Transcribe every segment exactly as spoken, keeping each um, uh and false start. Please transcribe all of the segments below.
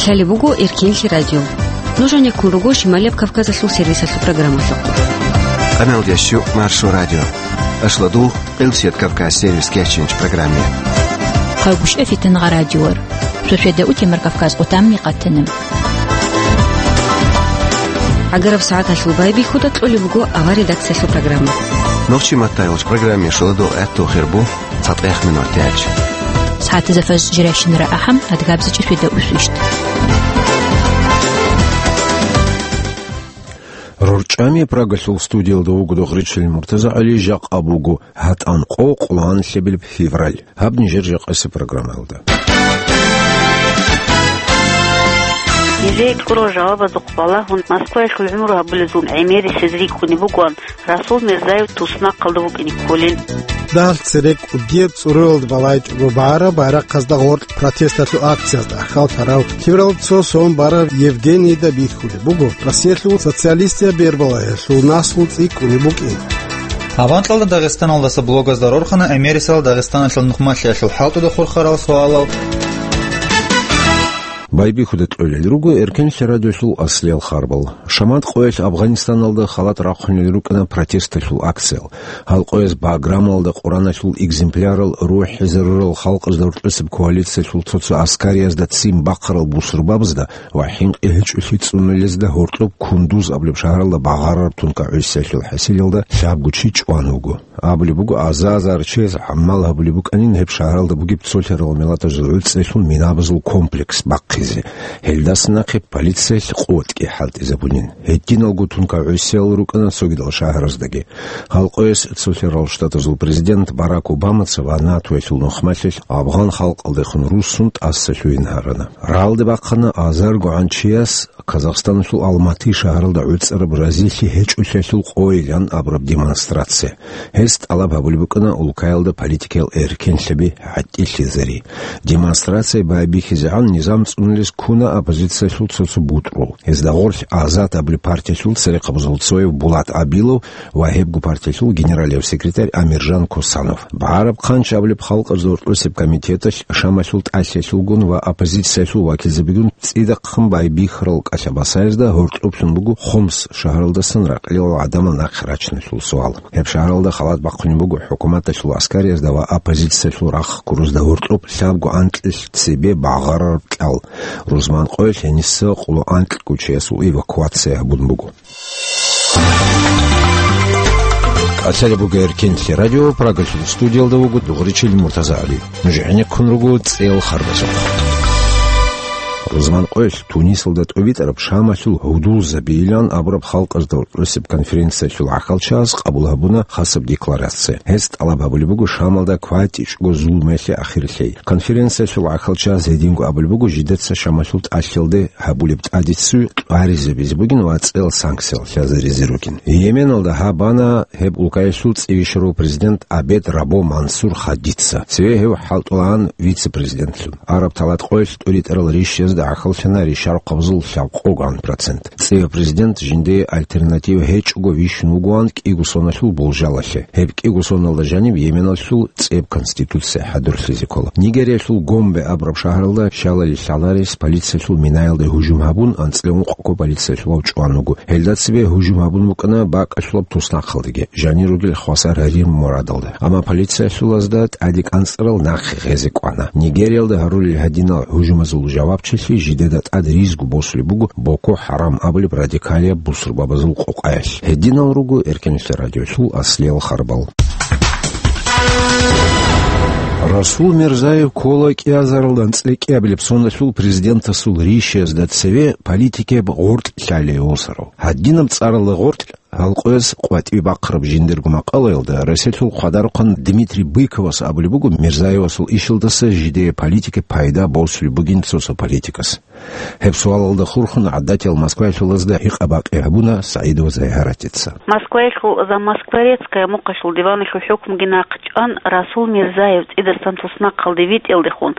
Лъалеб буго Эркенлъи радио. Нуж гӀенеккун руго Шималияб Кавказалъул сервисалъул программалъухъ. Къамел ящу Маршо радио. Ашладул, Къилсият Кавказ сервис кечинч программе. Хъагушев Фитангъа радиор. Сосведа утемар Кавказ къутамни къатана. ГӀагараб сагӀаталъул байбихьуда кьолеб буго авар редакциялъул программа. Нохчи маттайолч программе шуладул гӀатту хирбу. ЦатӀех минут яч. СагӀатазда фаз жирайщинара ахӀам, адгабзичӀи фида усвищт. РорчӀами Прагалъул студиялда вуго Дохричил МуртазагӀали, жакъа буго гьатӀан къо къуланлъебилеб февраль. Гьаб нижер жакъасеб программаялда. Нижее кьурал жавабазухъ балагьун, Москваялъул гӀумру гьабулезул гӀемерисез рикӀкӀунеб бугоан, Расул Мирзаев туснахъалда вукӀине кколин. Дагь цере кӀудияб цӀуруялда балайчӀого багьараб байрахъазда гъоркь протесталъул акциязда хал тарав Тиврал цо сон барав Евгенийда бихьулеб буго Россиялъул социалистияб бербалаялъул наслу цӀикӀкӀунеб букӀин. Аванкьалда Дагъистаналдаса блогазда рорхана гӀемерисел Дагъистаналъул нухмалъиялъул хӀалтӀуда хурхарал суалал. Байбихьуда кьолел руго Эркенлъи радиолъул аслиял харбал. Шамат къоялъ Афганистаналда халат рахъунел рукӀана протесталъул акциял. Гьал къояз Баграмалда Къураналъул экземплярал рухӀизарурал халкъазда гьоркьосеб коалициялъул цо-цо аскариязда ццин бахъарал бусурбабазда ва хӀинкъи гьечӀолъи цӀунулезда гьоркьоб Кундуз абулеб шагьаралда багъарараб тункагӀусиялъул хӀасилалда лъабго чи чӀван вуго. Абулеб буго, аза-азар чияс гӀамал гьабулеб букӀанин гьеб шагьаралда бугеб цолъарал миллатазул гӀуцӀрелъул минабазул комплекс бахъизе. Гьелдаса нахъе полициялъ къотӀги хӀалтӀизабунин. Гьединалго тункагӀусиял рукӀана цогидал шагьараздаги. Гьал къояс Цолъарал Штатазул президент Барак Обамаца ва натоялъул нухмалъилъ афгъан халкъалдехун руссун тӀасалъугьин гьарана. Рагьалде бахъана азарго гӀанчияс Казахстаналъул Алматы шагьаралда гӀуцӀараб разилъи гьечӀолъиялъул къойилан абураб демонстрация. Гьес тӀалаб гьабулеб букӀана улкаялда политикиял эркенлъаби гӀатӀилъизари. Демонстрация байбихьизегӀан низам цӀунулес ккуна оппозициялъул цо-цо бутӀрул. Гьезда гъорлъ Азат абулеб партиялъул церехъабазул цояв Булат Абилов ва гьебго партиялъул генералияв секретарь Амиржан Косанов. БагӀараб хъанч абулеб халкъазда гьоркьосеб комитеталъ Шамалъул тӀалъиялъулгун ва оппозициялъул вакилзабигун цӀидахъ байбихьарал кӀалъа-басаязда гьоркьоблъун буго Хомс шагьаралдасан ракьилал гӀадамал нахъе рачиналъул суал. Гьеб шагьаралда халат бахъунеб буго хӀукуматалъул аскариязда ва оппозициялъул рахъ ккурузда гьоркьоб лъабго анкьилъ цебе багъарараб кьал. Рузман къоялъ гьениса къоло анкьго чиясул эвакуация гьабун буго. КӀалъалеб буго Эркенлъи радио, Прагалъул студиялда вуго Дугъричил МуртазагӀали. Нуж гӀенеккун руго цӀел харбазухъ. Рузман къоялъ Тунисалда тӀобитӀараб Шамалъул гьудулзабийилан абураб халкъазда гьоркьосеб конференциялъул гӀахьалчагӀаз къабул гьабуна хасаб декларация. Гьес тӀалаб гьабулеб буго Шамалда кватӀичӀго зулмуялъе ахир лъей. Конференциялъул гӀахьалчагӀаз гьединго абулеб буго жидеца Шамалъул тӀалъиялде гьабулеб тӀадиццуй къваризабизе бугин ва цӀел санкциял лъазаризе ругин. Йеменалда гьабана гьеб улкаялъул цӀийищарав президент Абед Рабо Мансур Хадица, цеве гьев хӀалтӀулаан вице-президентлъун. Араб талат къоялъ тӀуритӀарал рищазда гӀахьаллъана ришарахъабазул лъабкъоган процент. ЦӀияб президент жиндие альтернатива гьечӀого вищун вугоан кӀиго соналъул болжалалъе. Гьеб кӀиго соналда жаниб Йеменалъул цӀияб конституция хӀадурлъизе ккола. Нигериялъул Гомбе абураб шагьаралда щалали лъаларес полициялъул минаялде гьужум гьабун, анцӀила ункъго полициялъулав чӀван вуго. Гьелда цебе гьужум гьабун букӀана бакӀалъулаб туснахъалдаги, жанир ругел хвасар гьарир мурадалда. Амма полициялъулазда тӀаде кӀанцӀарал нахъе гъезе кӀвана. Нигериялда гьарулел гьадинал гьужумазул жавабчилъи жидеда тӀад ризго босулеб буго Боко Харам абулеб радикалияб бусурбабазул къокъаялъ. Гьединал руго Эркенлъи радиолъул аслиял харбал. Расул Мирзаев ккола кӀиазаралда анцӀила кӀиабилеб соналъул президентасул ришиязда цеве политикияб гъоркь лъалей восарав. Гьадинаб цӀаралда гъоркь гьалкъояз къватӀибе бахъараб жиндирго макъалаялда Россиялъул хъвадарухъан Дмитрий Быковас абулеб буго Мирзаевасул ишалдаса жидее политикияб пайда босулеб бугин цо-цо политикас. Гьеб суалалда хурхун гӀадатиял Москваялъулазда гьикъа-бакъи гьабуна СагӀидова Зайгьаратица. Москваялъул «За Москворецкое» мухъалъул диваналъул хӀукмуги нахъчӀван, Расул Мирзаев цӀидасан туснахъалде витӀиялдехун,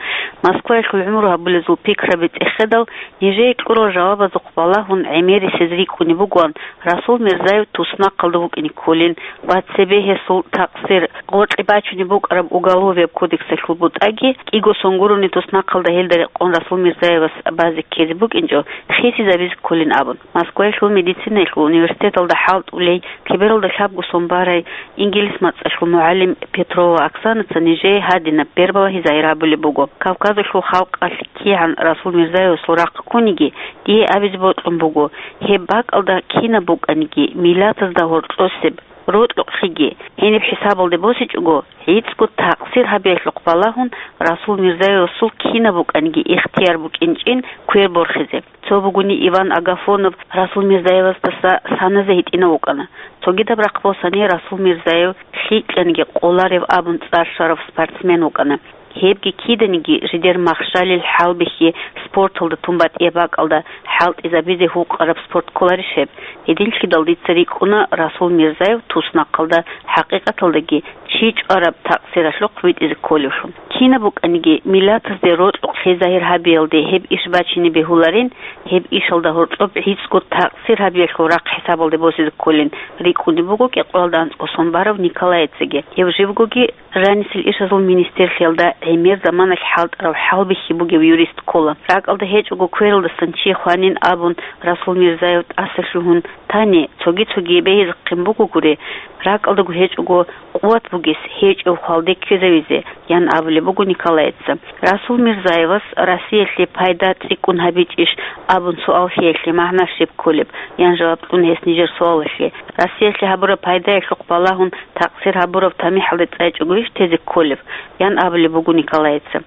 Москваялъул гӀумру гьабулезул пикраби цӀехедал, нижее кьурал жавабазухъ балагьун гӀемерисез рикӀкӀунеб бугоан, Расул Мирзаев туснахъалда вукӀине кколин ва цебе гьесул такъсир гъоркье бачунеб букӀараб Уголовияб кодексалъул бутӀаги, кӀиго сон гурони туснахъалда гьелда рекъон Расул Мирзаевас базе ккезе букӀинчӀо, хисизабизе кколин абун. Москваялъул медицинаялъул университеталда хӀалтӀулей, лъебералда лъабго сон барай, инглис мацӀалъул мугӀалим Петрова Оксанаца нижее гьадинаб бербалагьи загьир гьабулеб буго: Кавказалъул халкъалъ кигӀан Расул Мирзаевасул рахъ ккуниги, дие абизе бокьун буго, гьеб бакӀалда кинаб букӀаниги, миллатазда гьоркьосеб, рокьукълъиги, гьениб хӀисабалде босичӀого, гӀицӀго такъсир гьабиялъухъ балагьун, Расул Мирзаевасул кинаб букӀаниги ихтияр букӀинчӀин квер борхизе. Цо бугони Иван Агафонов Расул Мирзаевасдаса саназе гьитӀинав вукӀана. Цогидаб рахъ босани Расул Мирзаев лъикӀаниги къоларев абун цӀар щварав спортсмен вукӀана. Гьебги киданиги жидер махщалил хӀалбихьи спорталда тун батӀияб бакӀалда хӀалтӀизабизе гьукъараб спорт кколарищ гьеб? Гьединлъидал дица рикӀкӀуна Расул Мирзаев туснахъалда хӀакъикъаталдаги чи чӀвараб такъсиралъухъ витӀизе кколевлъун. Кинаб букӀаниги, миллатазде рокьукълъи загьир гьабиялде гьеб иш бачине бегьуларин, гьеб ишалда гьоркьоб гӀицӀго такъсир гьабиялъул рахъ хӀисабалде босизе кколин рикӀкӀунеб буго кӀикъоялда анцӀго сон барав Николаецаги. Гьев живгоги жанисел ишазул министерлъиялда гӀемер заманалъ хӀалтӀарав хӀалбихьи бугев юрист ккола. РакӀалда гьечӀого квералдасан чи хванин абун Расул Мирзаев тӀаса лъугьун тани, цоги-цоги бегьизехъин бугогури, ракӀалдаго гьечӀого къуват бугес гьечӀев хвалде ккезавизе, ян абулеб буго Николаеца. Расул Мирзаевас Россиялъе пайда цӀикӀкӀун гьабичӀищ абун суал лъеялъе магӀна щиб кколеб, ян жаваб кьун гьес нижер суалалъе. Россиялъе гьабураб пайдаялъухъ балагьун такъсир гьабурав тамихӀалде цӀайчӀогойищ тезе кколеб, ян абулеб буго Николаеца.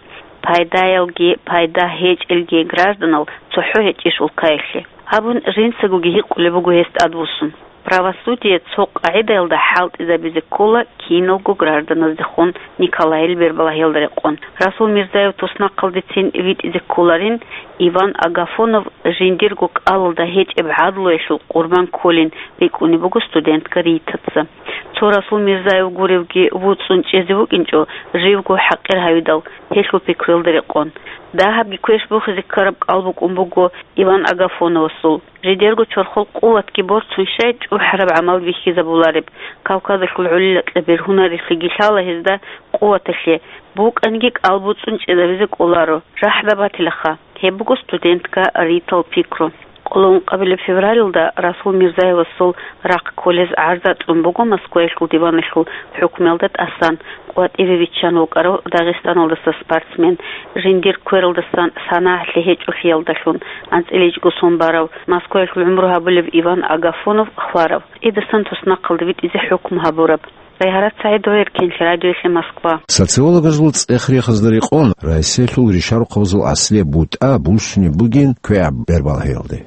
Пайдаялги, пайда гьечӀелги гражданал цохӀо гьечӀищ улкаялъе? Абун жинцагоги гьикъулеб буго гьес тӀадвуссун. Правосудие цо къагӀидаялда хӀалтӀизабизе ккола киналго гражданаздехун Николаил бербалагьиялда рекъон. Расул Мирзаев туснахъалдецин витӀизе кколарин, Иван Агафонов жиндирго кӀалалда гьечӀеб гӀадлуялъул къурбан кколин рикӀкӀунеб буго студентка Ритаца. Цо Расул Мирзаев гуревги вуцӀцӀун чӀезе вукӀинчӀо, живго хӀакъир гьавидал, гьелъул пикруялда рекъон. Дагьабги квеш бухизе ккараб кӀал букӀун буго Иван Агафоновасул. Жидерго чорхол къуватги борцун щай чӀухӀараб гӀамал бихьизабулареб. Кавказалъул гӀолилакьа бергьунарелъиги лъала гьезда къуваталъе, букӀанги кӀал буцӀцӀун чӀезабизе кӀоларо, рахӀда батилаха. Гьеб буго студентка Ритал пикру. Къоло ункъабилеб февралалда Расул Мирзаевасул рахъ кколез гӀарза кьун буго Москваялъул диваналъул хӀукмуялда тӀасан, къватӀиве виччан вукӀарав Дагъистаналдаса спортсмен, жиндир квералдасан санагӀалъи гьечӀолъиялдалъун анцӀила ичӀго сон барав, Москваялъул гӀумру гьабулев Иван Агафонов хварав, тӀидасан туснахъалда витӀизе хӀукму гьабураб. Райгьарат СагӀидова, Эркенлъи радиоялъе, Москва. Социологазул цӀех-рехазда рекъон, Россиялъул ришарухъабазул аслияб бутӀа буссунеб бугин квегӀаб бербалагьиялде.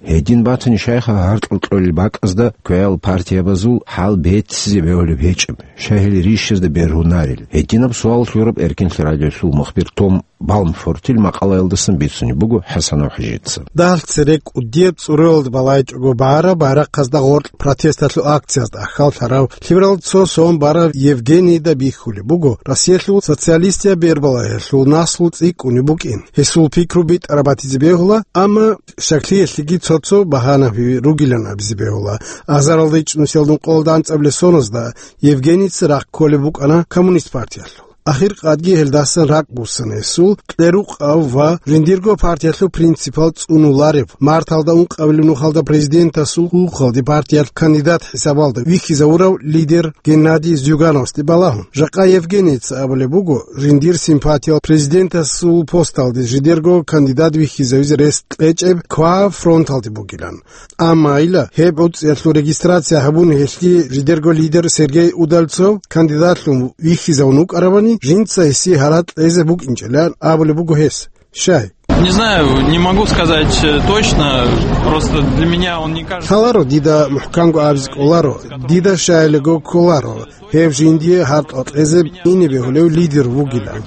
Гьедин батани, щайха гьаркьул кьолел бакӀазда квегӀал партиябазул хӀал беццизе бегьулеб гьечӀеб, щай гьел ришазда бергьунарел? Гьединаб суал лъураб Эркенлъи радиоялъул мухбир Том Балмфортил макъалаялдасан бицунеб буго ХӀасанов ХӀажица. Дагьалъ цере кӀудияб цӀуралда балайчӀого багьараб байрахъазда гъоркь протесталъул акциязда ахьал лъарав лъиберал цо сон барав Евгенийда бихьулеб буго Россиялъул социалистияб бербалагьиялъул наслу цӀикӀкӀунеб букӀин. Гьесул пикру битӀараб батизе бегьула, амма щаклъиялъеги цо-цо багьанаби ругилан абизе бегьула. Азаралда ичӀнусиялдун къоло анцӀабилеб соназда Евгенийца рахъ кколеб букӀана Коммунист партиялъул. Ахиркъадги гьелдасан ракӀ буссана гьесул кьерукъав ва жиндирго партиялъул принципал цӀунуларев, марталда ункъабилеб нухалда президентасул хьухьалде партиялъ кандидат хӀисабалда вихьизавурав лидер Геннадий Зюгановасде балагьун. Жакъа Евгенийца абулеб буго, жиндир симпатиял президентасул посталде жидерго кандидат вихьизавизе рес кьечӀеб квегӀаб фронталде бугилан. Амма ила, гьеб гӀуцӀиялъул регистрация гьабун гьелъие жидерго лидер Сергей Удальцов кандидатлъун вихьизавун вукӀарабани, жинца гьесие гьаракь кьезе букӀинчӀилан абулеб буго гьес. Щай? Не знаю, не могу сказать, э, точно, просто для меня он не кажется. Лъаларо дида мухӀканго абизе кӀоларо, дида щайилего кколаро, гьев жиндие гьаракь кьезе ине бегьулев лидер вугилан.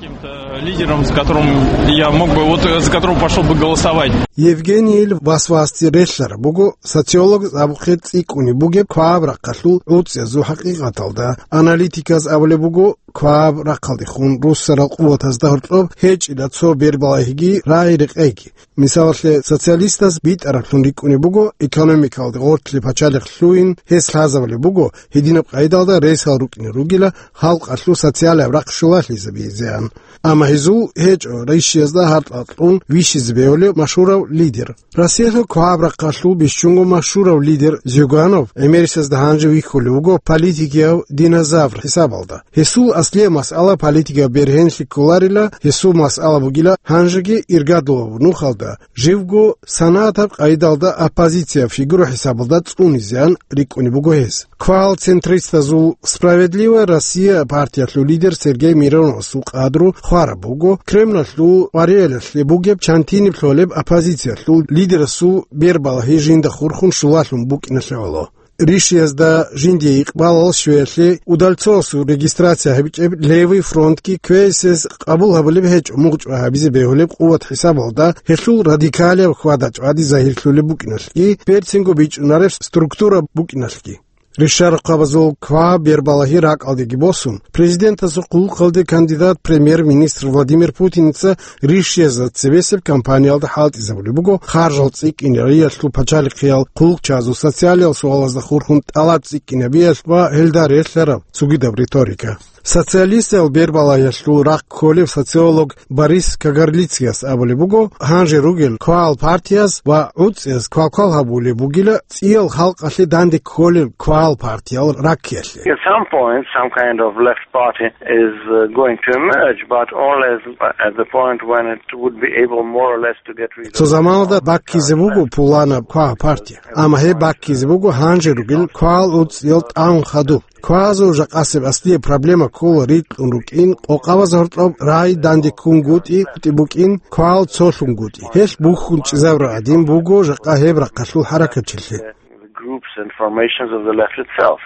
Лидером, с которым я мог бы, вот, э, за которого пошёл бы голосовать. Евгенийил васвасде релълъараб буго социолог абухъе цӀикӀкӀунеб бугеб кваб рахъалъул гӀуцӀиязул хӀакъикъаталда. Аналитиказ абулеб буго, кваб рахъалдехун руссарал къуватазда гьоркьоб гьечӀила цо бербалагьиги рагӀи-рекъейги. Мисалалъе, социалистаз битӀараблъун рикӀкӀунеб буго экономикалде гъоркье пачалихъ лъугьин, гьес лъазабулеб буго гьединаб къайдалда ресал рукӀине ругила халкъалъул социалияб рахъ щулалъизабизеан. Амма гьезул гьечӀо ришиязда гьаркьа кьун вищизе бегьулев машгьурав лидер. Россиялъул кваб рахъалъул бищунго машгьурав лидер Зюганов гӀемерисезда гьанже вихьулев вуго политикияв динозавр хӀисабалда. Гьесул аслияб масъала политикаб бергьенлъи кколарила, гьесул масъала бугила гьанжеги иргадулаб нухалда живго санагӀатаб къайдалда оппозицияб фигура хӀисабалда цӀунизеан рикӀкӀунеб буго гьес. Квал-центристазул «Справедливая Россия» партиялъул лидер Сергей Мироновасул къадру хвараб буго, Кремлалъул къвариялъе бугеб чантиниб лъолеб оппозициялъул лидерасул бербалагьи жинда хурхун щулалъун букӀиналъе гӀоло. Ришиязда жиндие икъбалал щвеялъе Удальцовасул регистрация гьабичӀеб Левый фронтги квейсез къабул гьабулеб гьечӀо мугъчӀва гьабизе бегьулеб къуват хӀисабалда, гьелъул радикалияб хьвада-чӀвади загьирлъулеб букӀиналъги, берцинго бичӀчӀунареб структура букӀиналъги. Ришарахъабазул ква бербалагьи ракӀалдеги босун, президентасул хъулухъалде кандидат премьер-министр Владимир Путиница ришиязда цебесеб кампаниялда хӀалтӀизабулеб буго харжал цӀикӀкӀинариялъул пачалихъиял хъулухъчазул социалиял суалазда хурхун тӀалаб цӀикӀкӀинабиялъ ва гьелда релълъараб цогидаб риторика. Социалистиял бербалагьиялъул рахъ кколев социолог Борис Кагарлицкияс абулеб буго, гьанже ругел квал партияз ва гӀуцӀияз квалквал гьабулеб бугила цӀиял халкъалъе данде кколел квал партиял раккиялъе. At some point, some kind of left party is, uh, going to emerge, but only as, at the point when it would be able more or less to get rid of. Цо заманалда баккизе буго пуланаб квал партия, амма гьеб баккизе буго гьанже ругел квал гӀуцӀиял тӀагӀун хадуб. Квазул жакъасеб аслияб проблема ккола рикьун рукӀин, къокъабаз гьоркьоб рагӀи дандеккунгутӀи, гутӀи букӀин, квал цолъунгутӀи. Гьелъ бухьун чӀезабураб гӀадин буго жакъа гьеб рахъалъул хӀаракатчилъи. The groups and formations of the left itself,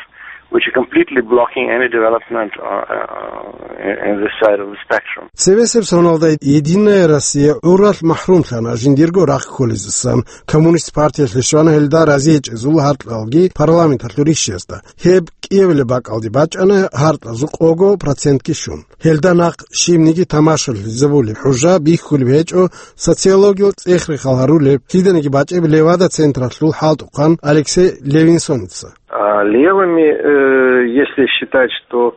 which are completely blocking any development, uh, uh, in, in this side of the spectrum. Цебесеб соналда Единая Россия гӀуралъ махӀрумлъана жиндирго рахъ кколезасан. Коммунист партиялъе щвана гьелда разигьечӀезул гьаркьалги парламенталъул ришиязда. Гьеб кӀиабилеб бакӀалде бачӀана гьаркьазул къого процентги щун. Гьелда нахъ щибниги тамашалъизабулеб хӀужа бихьулеб гьечӀо социологиял цӀех-рехал гьарулеб, лъиданиги бачӀеб Левада централъул хӀалтӀухъан Алексей Левинсоница. А левыми, э, если считать, что,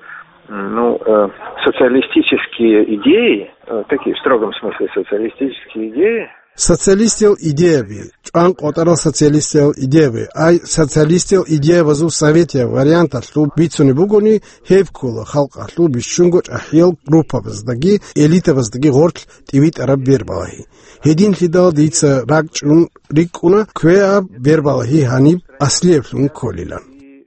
м, ну, э, социалистические идеи, э, такие в строгом смысле социалистические идеи, Социалистиял идеяби, чӀван къотӀарал социалистиял идеяби, ай социалистиял идеябазул советиял варианталъул бицунеб бугони, гьеб ккола халкъалъул бищунго чӀахӀиял группабаздаги элитабаздаги гъорлъ тӀибитӀараб бербалагьи. Гьединлъидал дица ракӀчӀун рикӀкӀуна квеаб бербалагьи гьаниб аслиеблъун кколилан.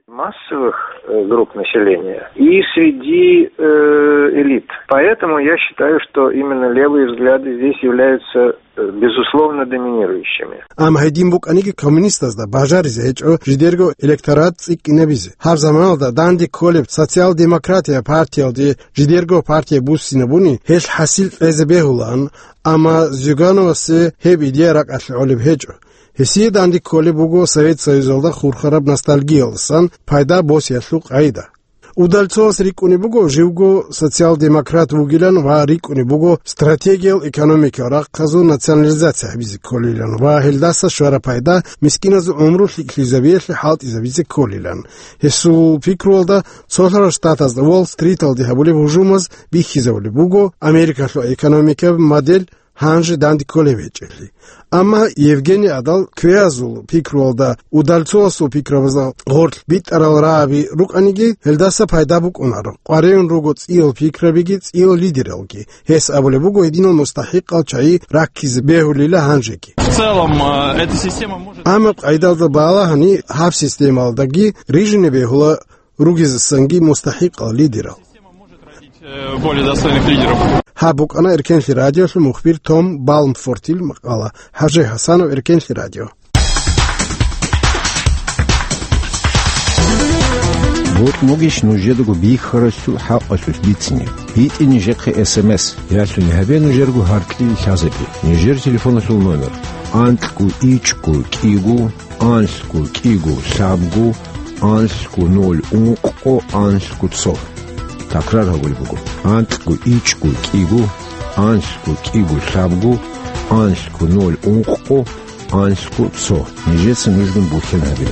Массовых, э, групп населения и среди, э, элит. Поэтому я считаю, что именно левые взгляды здесь являются, э, безусловно доминирующими. Амма гьедин букӀаниги, коммунистазда бажаризе гьечӀо жидерго электорат цӀикӀкӀинабизе. Гьаб заманалда данде кколеб социал-демократия партиялде жидерго партия буссинабуни, гьелъ хӀасил кьезе бегьулаан, амма Зюгановасе гьеб идея ракӀалъе гӀолеб гьечӀо. Гьесие данде кколеб буго Совет Союзалда хурхараб ностальгиялдасан пайда босиялъул къайда. Удальцовас рикӀкӀунеб буго живго социал-демократ вугилан ва рикӀкӀунеб буго стратегиял экономикал рахъазул национализация гьабизе кколилан ва гьелдаса щвараб пайда мискиназул гӀумру лъикӀлъизабиялъе хӀалтӀизабизе кколилан. Гьесул пикруялда, Цолъарал Штатазда Уолл-Стриталде гьабулеб гьужумаз бихьизабулеб буго Америкалъул экономикаб модель гьанже данде кколеб гьечӀелъи. Амма Евгений Адал квеазул пикруялда Удальцовасул пикрабазда гъорлъ битӀарал рагӀаби рукӀаниги, гьелдаса пайда букӀунаро, къваригӀун руго цӀиял пикрабиги цӀиял лидералги. Гьес абулеб буго гьединал мустахӀикъал чагӀи раккизе бегьулила гьанжеги. В целом, э, эта система может... Амма къайдалда балагьани гьаб системалдаги рижине бегьула ругезасанги мустахӀикъал лидерал. Э, более достойных лидеров. Гьаб букӀана Эркенлъи радиолъул мухбир Том Балмфортил макъала. ХӀажи ХӀасанов, Эркенлъи радио. Бокьугищ нужедаго бихьаралъул хӀакъалъулъ бицине? БитӀе нижехъе эс эм эс, ялъуни гьабе нужерго гьаркьил лъазаби. Нижер телефоналъул номер: анкьго ичӀго кӀиго, анлъго кӀиго лъабго, анлъго ноль ункъго, анлъго цо. Такрар гьабулеб буго: анкьго ичӀго кӀиго, анлъго кӀиго лъабго, анлъго ноль ункъго, анлъго цо. Нижеца нужгун бухьен гьабе.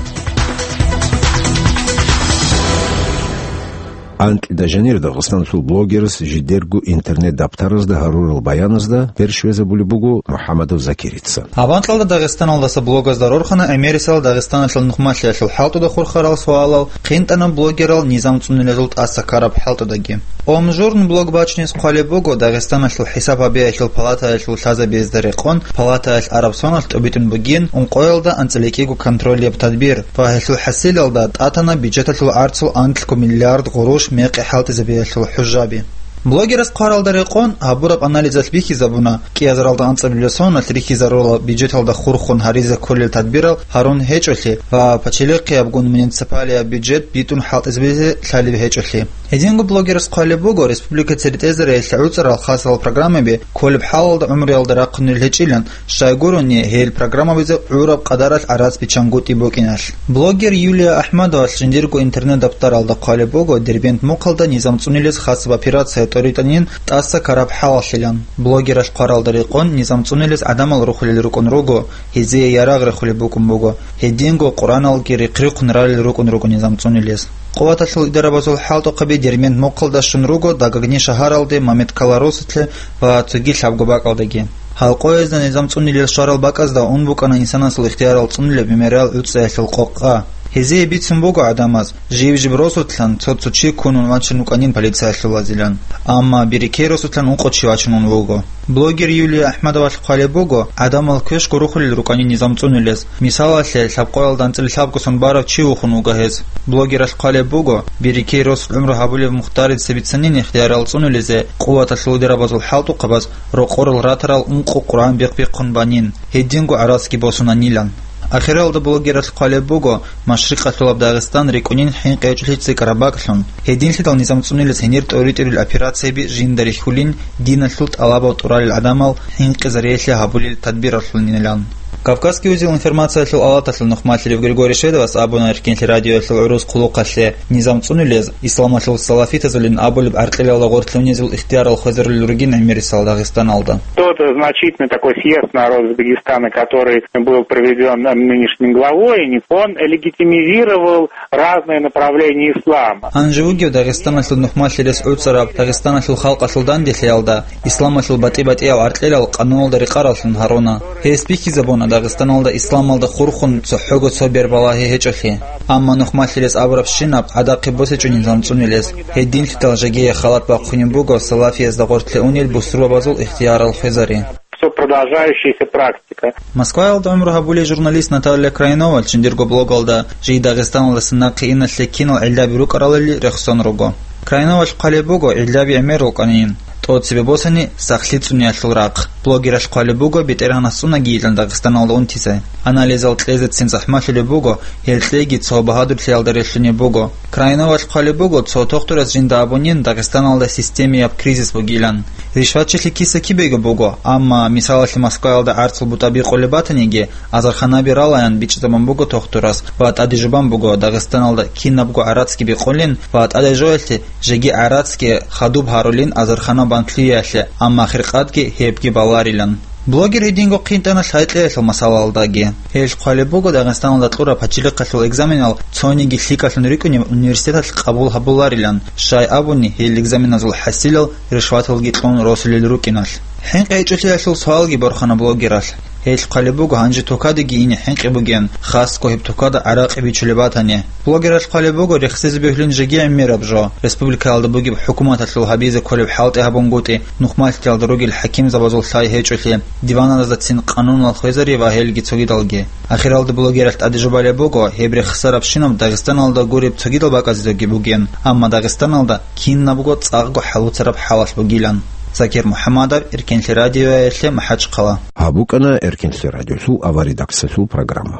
Анкьида жанир Дагъистаналъул блогерас жидерго интернет-даптаразда гьарурал баяназда перш везабулеб буго МухӀаммадов Закирица. Гьаб анкьалда Дагъистаналдаса блогазда рорхана гӀемерисел Дагъистаналъул нухмалъиялъул хӀалтӀуда хурхарал суалал, хъинтӀана блогерал низам цӀунулезул тӀаса ккараб хӀалтӀудаги. Омжурн блог бачиниз хъвалеб буго Дагъистаналъул хӀисаб гьабиялъул палатаялъул лъазабиязда рекъон, палатаялъ араб соналъ тӀобитӀун бугин ункъоялда анцӀила кӀиго контролияб тадбир ва гьелъул хӀасилалда тӀатана бюджеталъул гӀарцул анлъго миллиард гъурущ мекъи хӀалтӀизабиялъул хӀужаби. Блогерас хъваралда рекъон гьабураб анализалъ бихьизабуна, кӀиазаралда анцӀабилеб соналъ рихьизарула бюджеталда хурхун гьаризе кколел тадбирал гьарун гьечӀолъи ва пачалихъиябгун муниципалияб бюджет битӀун хӀалтӀизабизе лъалеб гьечӀолъи. Гьединго блогерас хъвалеб буго, республика цере тӀезареялъе гӀуцӀарал хасал программаби кколеб хӀалалда гӀумруялда рахъунел гьечӀилан, щайгурони гьел программабизе гӀураб къадаралъ гӀарац биччангутӀи букӀиналъ. Блогер Юлия Ахмадовалъ жиндирго интернет-даптаралда хъвалеб буго Дербент мухъалда низам цӀунилез хасаб операция тӀоритӀанин тӀаса ккараб хӀалалъилан. Блогералъ хъваралда рекъон низам цӀунилез гӀадамал рухулел рукӀун руго, гьезие ярагъ рехулеб букӀун буго, гьединго Къуръаналги рихъ-рихъун ралел рукӀун руго низам цӀунилез. Къуваталъул идарабазул хӀалтӀухъаби Дербент мухъалда щун руго Дагагни шагьаралде Мамедкала росулъе ва цоги лъабго бакӀалдаги. Гьал къоязда низам цӀунилел щварал бакӀазда ун букӀана инсанасул ихтиярал цӀунилеб мемориал гӀуцӀиялъул къокъа. Гьезие бицун буго гӀадамаз, жиб-жиб росулъан цо-цо чи ккунун вачун вукӀанин полициялъулазилан, амма Бирикей росулъан ункъо чи вачун ун вуго. Блогер Юлия Ахмадовалъ хъвалеб буго, гӀадамал квеш гурухулел рукӀанин низам цӀунилез. Мисалалъе, лъабкъоялда анцӀила лъабгосан барав чи вухун вуго гьез. Блогералъ хъвалеб буго, Бирикей росулъ гӀумру гьабулев Мухтарица бицанин ихтиярал цӀунулезе, къуваталъул идарабазул хӀалтӀухъабаз рокъорал ратарал ункъо Къуръан бихъ-бихъун банин, гьединго гӀарацги босунанилан. Ахиралда блогералъ хъвалеб буго, Машрикъалъулаб Дагъистан рикӀкӀунин хӀинкъичӀолъи цӀикӀкӀараб бакӀлъун. Гьединлъидал низам цӀунилез гьенир тӀоритӀурил операцияб жинда рихьулин, диналъул тӀалабал тӀуралел гӀадамал хӀинкъизарияхъе гьабулел тадбиралъулинилан. Кавказский узел информациялъул алаталъул нухмалъилев Григорий Шведовас абуна Эркенлъи радиоялъул гӀурус хъулухъалъе, низам цӀунилез исламалъул салафитазулин абулеб гӀаркьилалда гъорлъе унезул ихтиярал хвезарулел ругин гӀемерисел Дагъистаналда. Тот значительный такой съезд народа Дагестана, который был проведён нынешним главой, он легитимизировал разные направления ислама. Гьанже вугев Дагъистаналъул нухмалъилес гӀуцӀараб Дагъистаналъул халкъалъул данделъиялда исламалъул батӀи-батӀиял гӀаркьилал къануналда рекъараллъун гьаруна. Гьес бихьизабуна Дагъистаналда исламалда хурхун цохӀого цо бербалагьи гьечӀолъи. Амма нухмалъилес абурабщинаб гӀадахъе босичӀо низам цӀунилез. Гьединлъидал жагие халат бахъунеб буго салафиязда гъорлъе унел бусурбабазул ихтиярал хвезари. Всё продолжающаяся практика. Москваялда гӀумру гьабулей журналист Наталья Крайнова жиндирго блогалда, жий Дагъистаналдаса нахъе иналъе кинал гӀиллаби рукӀаралали рехсон руго. Крайновалъ хъвалеб буго гӀиллаби гӀемер рукӀанин, тӀоцебе босани сахлъи цӀуниялъул рахъ. Блогералъ хъвалеб буго БетӀергьанас цӀунагийилан Дагъистаналда унтизе. Анализал кьезецин захӀмалъулеб буго, гьел кьеги цо багьадурлъиялда релълъунеб буго. Крайновалъ хъвалеб буго, цо тухтурас жинда абунин Дагъистаналда системияб кризис бугилан. Ришватчилъи киса-кибего буго, амма, мисалалъе, Москваялда гӀарцул бутӀа бикъулеб батаниги, азарханаби ралаян бичӀчӀизабун буго тухтурас ва тӀадежубан буго Дагъистаналда кинабго гӀарацги бикъулин ва тӀадежоялъе жеги гӀарацги хадуб гьарулин азархана бантлъиялъе, амма хиркъадги гьебги баларилан. Блогер гьединго хъинтӀана лъай-кьеялъул масалалдаги. Гьелъ хъвалеб буго Дагъистаналда кьураб пачалихъалъул экзаменал цониги лъикӀалъун рикӀкӀунев университеталъ къабул гьабуларилан, щай абуни гьел экзаменазул хӀасилал ришваталги кьун росулел рукӀиналъ. ХӀинкъи гьечӀолъиялъул суалги борхана блогералъ. Гьелъ хъвалеб буго гьанже тукадеги ине хӀинкъи бугин, хасго гьеб тукада гӀаракъи бичулеб батани. Блогералъ хъвалеб буго рехсезе бегьлин жеги гӀемераб жо, республикаялда бугеб хӀукуматалъул гьабизе кколеб хӀалтӀи гьабунгутӀи, нухмалъиялда ругел хӀакимзабазул лъай гьечӀолъи, диваназдацин къануналал хвезари ва гьелги цогидалги. Ахиралда блогералъ тӀадежубалеб буго, гьеб рехсарабщинаб Дагъистаналда гуреб цогидал бакӀаздаги бугин, амма Дагъистаналда кинабго цӀакъго хӀалуцараб хӀалалъ бугилан. Закир МухӀаммадов, Эркенлъи радиоялъе, МахӀачхъала. Гьаб букӀана Эркенлъи радиолъул аваредакциялъул программа.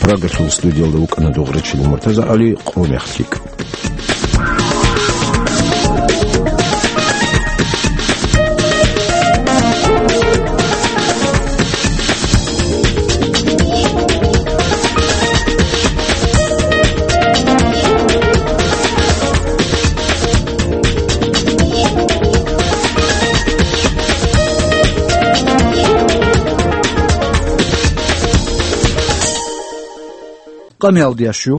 Прагалъул студиялда вукӀана Дугърачилан Муртазагьали, къо мехлъи. Къамиялдиящу